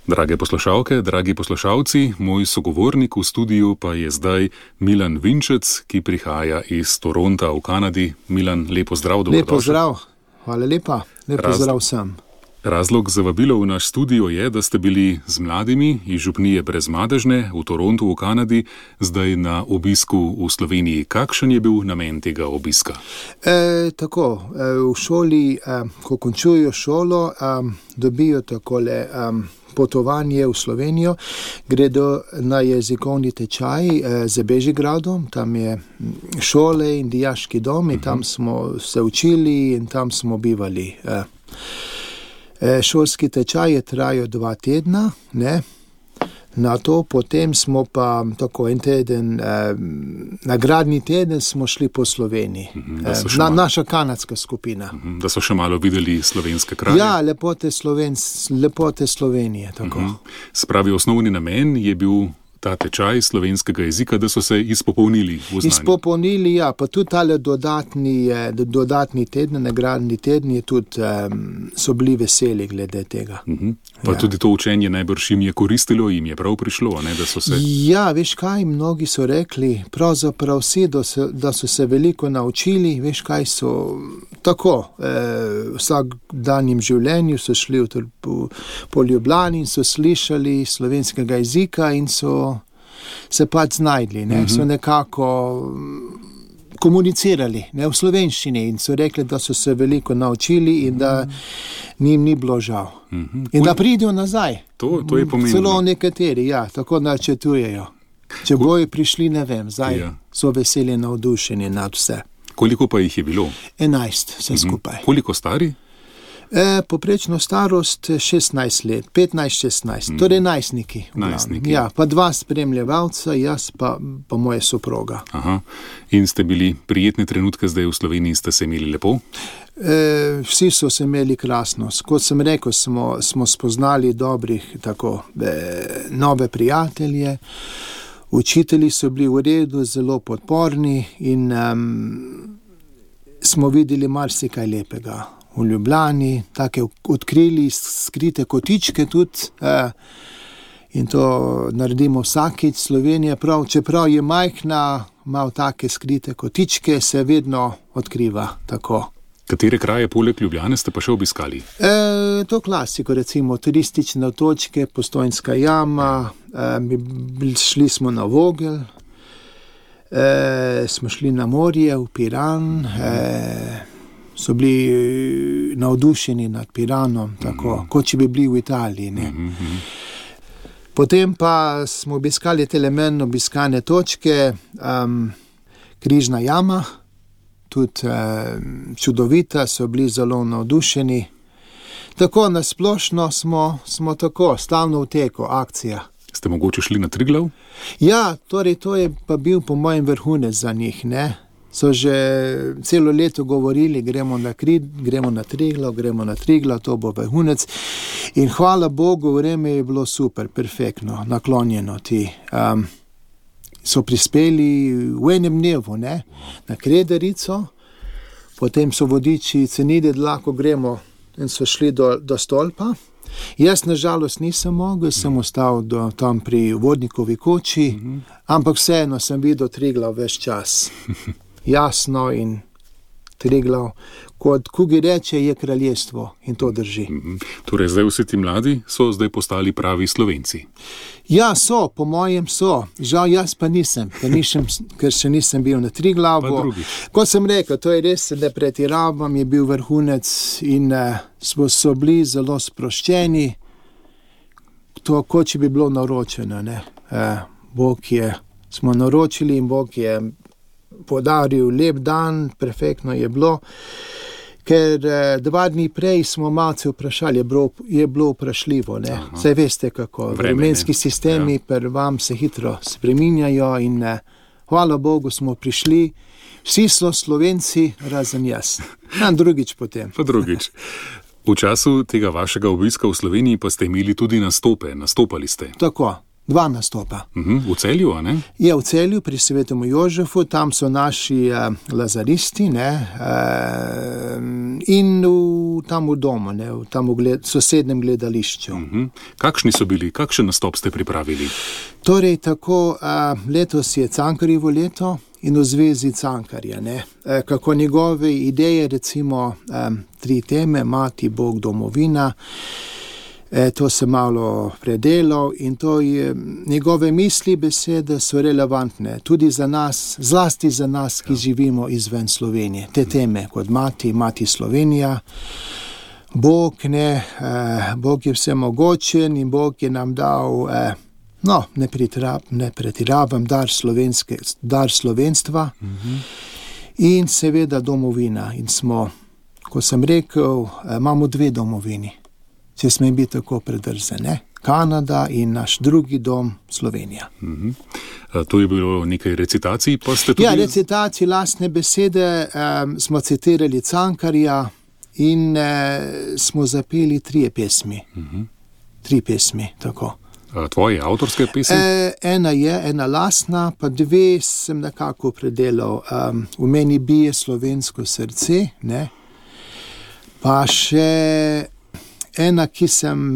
Drage poslušalke, dragi poslušalci, moj sogovornik v studiu pa je zdaj Milan Vinčec, ki prihaja iz Toronta v Kanadi. Milan, lepo zdrav, dobrodošel. Lepo zdrav, hvala lepa, lepo zdrav vsem. Razlog za vabilo v naš studio je, da ste bili z mladimi iz župnije Brezmadežne v Torontu v Kanadi, zdaj na obisku v Sloveniji. Kakšen je bil namen tega obiska? V šoli, ko končujejo šolo, dobijo takole potovanje v Slovenijo, gredo na jezikovni tečaj z Bežigradom, tam je šole in dijaški dom in tam smo se učili in tam smo bivali. Šolski tečaj je trajal 2 tedna, ne? Na to potem smo pa tako en teden, nagradni teden smo šli po Sloveniji, naša kanadska skupina. Da so še malo videli slovenske kraje? Ja, lepote Slovenije, tako. Spravi, osnovni namen je bil ta tečaj slovenskega jezika, da so se izpopolnili v znanju. Izpopolnili, ja, pa tudi tale dodatni teden, nagradni teden je tudi, so bili veseli glede tega. Pa tudi to učenje najbrž jim je koristilo, jim je prav prišlo, ne, da so se... Ja, veš kaj, mnogi so rekli, pravzaprav vsi, da so se veliko naučili, veš kaj so tako, vsak danjem življenju so šli po Ljubljani in so slišali slovenskega jezika in so se pač znajdli, ne, so nekako komunicirali, ne, v slovenščini in so rekli, da so se veliko naučili in da njim ni bilo žal. In da pridejo nazaj. To je pomembno. Celo nekateri, ja, tako načrtujejo. Če bojo prišli, ne vem, zdaj so veseli navdušeni nad vse. Koliko pa jih je bilo? 11, vse skupaj. Koliko stari? Poprečno starost 16 let, 15-16, torej najstniki. Najstniki. Ja, pa 2 spremljevalca, jaz pa moja soproga. Aha. In ste bili prijetne trenutke zdaj v Sloveniji, ste se imeli lepo? Vsi so se imeli krasno. Kot sem rekel, smo spoznali dobrih, tako, nove prijatelje. Učitelji so bili v redu, zelo podporni in smo videli marsikaj lepega. V Ljubljani, take odkrili skrite kotičke tudi in to naredimo vsakič. Slovenija, čeprav je majhna, ima take skrite kotičke, se vedno odkriva tako. Katere kraje poleg Ljubljane ste pa še obiskali? To klasiko, recimo turistične točke, Postojnska jama, šli smo na Vogel, smo šli na morje, v Piran, so bili navdušeni nad Piranom, tako, kot če bi bili v Italiji, ne. Potem pa smo obiskali telemen obiskane točke, Križna jama, tudi čudovita, so bili zelo navdušeni. Tako nasplošno smo tako, stalno v teku, akcija. Ste mogoče šli na Triglav? Ja, torej to je pa bil po mojem vrhunec za njih, ne. So že celo leto govorili, gremo na Triglav, to bo vrhunec. In hvala Bogu, vreme je bilo super, perfektno, naklonjeno ti. So prispeli v enem dnevu, ne, na Krederico, potem so vodiči cenili, da lahko gremo in so šli do stolpa. Jaz nažalost nisem mogel, sem ostal tam pri vodnikovi koči, ampak vseeno sem videl Triglav ves čas. Jasno in Triglav, kot Kugi reče, je kraljestvo in to drži. Torej zdaj vsi ti mladi so zdaj postali pravi Slovenci? Ja, so, po mojem so. Žal jaz pa nisem, ker še nisem bil na Triglavu. Kot sem rekel, to je res, da pretiravam, je bil vrhunec in so bili zelo sproščeni. To, kot če bi bilo naročeno, ne. Smo naročili in Bog je podaril lep dan, perfektno je bilo, ker 2 dni prej smo malce vprašali, je bilo vprašljivo, ne. Saj veste kako, vremenski sistemi pri vam se hitro spreminjajo in hvala Bogu smo prišli, vsi so Slovenci, razen jaz. Drugič potem. Pa drugič. V času tega vašega obiska v Sloveniji pa ste imeli tudi nastopali ste. Tako. 2 nastopa. V Celju, a ne? Je v Celju pri Svetom Jožefu, tam so naši lazaristi, ne, in tam v domu, ne, tam v sosednjem gledališču. Kakšni so bili, kakšen nastop ste pripravili? Torej, tako, letos je Cankarjevo leto in v zvezi Cankarja, ne, kako njegove ideje, recimo 3 teme, Mati, Bog, domovina, to se malo predelal in to je, njegove misli, besede so relevantne tudi za nas, zlasti za nas, ki živimo izven Slovenije. Te teme kot Mati Slovenija, Bog, ne, Bog je vsemogočen in Bog je nam dal, ne pretiravam, dar slovenstva in seveda domovina. In smo, ko sem rekel, imamo 2 domovini. Če smem biti tako predrzen, ne? Kanada in naš drugi dom, Slovenija. To je bilo nekaj recitacij, pa ste tudi... Ja, recitacij, lastne besede, smo citirali Cankarja in smo zapeli 3 pesmi. 3 pesmi, tako. Tvoje avtorske pesmi? Ena lastna, pa 2 sem nekako predelal. V meni bije slovensko srce, ne? Pa še... Ena, ki sem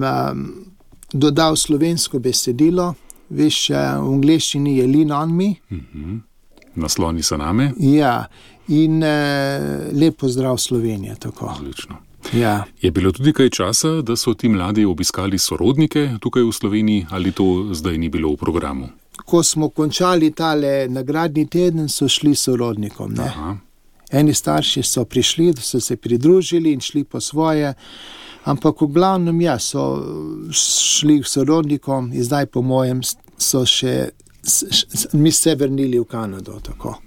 dodal slovensko besedilo, veš, v angleščini je Lean on me. Nasloni se name. Ja, in lep pozdrav Slovenija, tako. Odlično. Ja. Je bilo tudi kaj časa, da so ti mladi obiskali sorodnike tukaj v Sloveniji, ali to zdaj ni bilo v programu? Ko smo končali tale nagradni teden, so šli sorodnikom, ne? Aha. Eni starši so prišli, so se pridružili in šli po svoje, ampak v glavnem, ja, so šli k sorodnikom in zdaj po mojem so še mi se vrnili v Kanado, tako.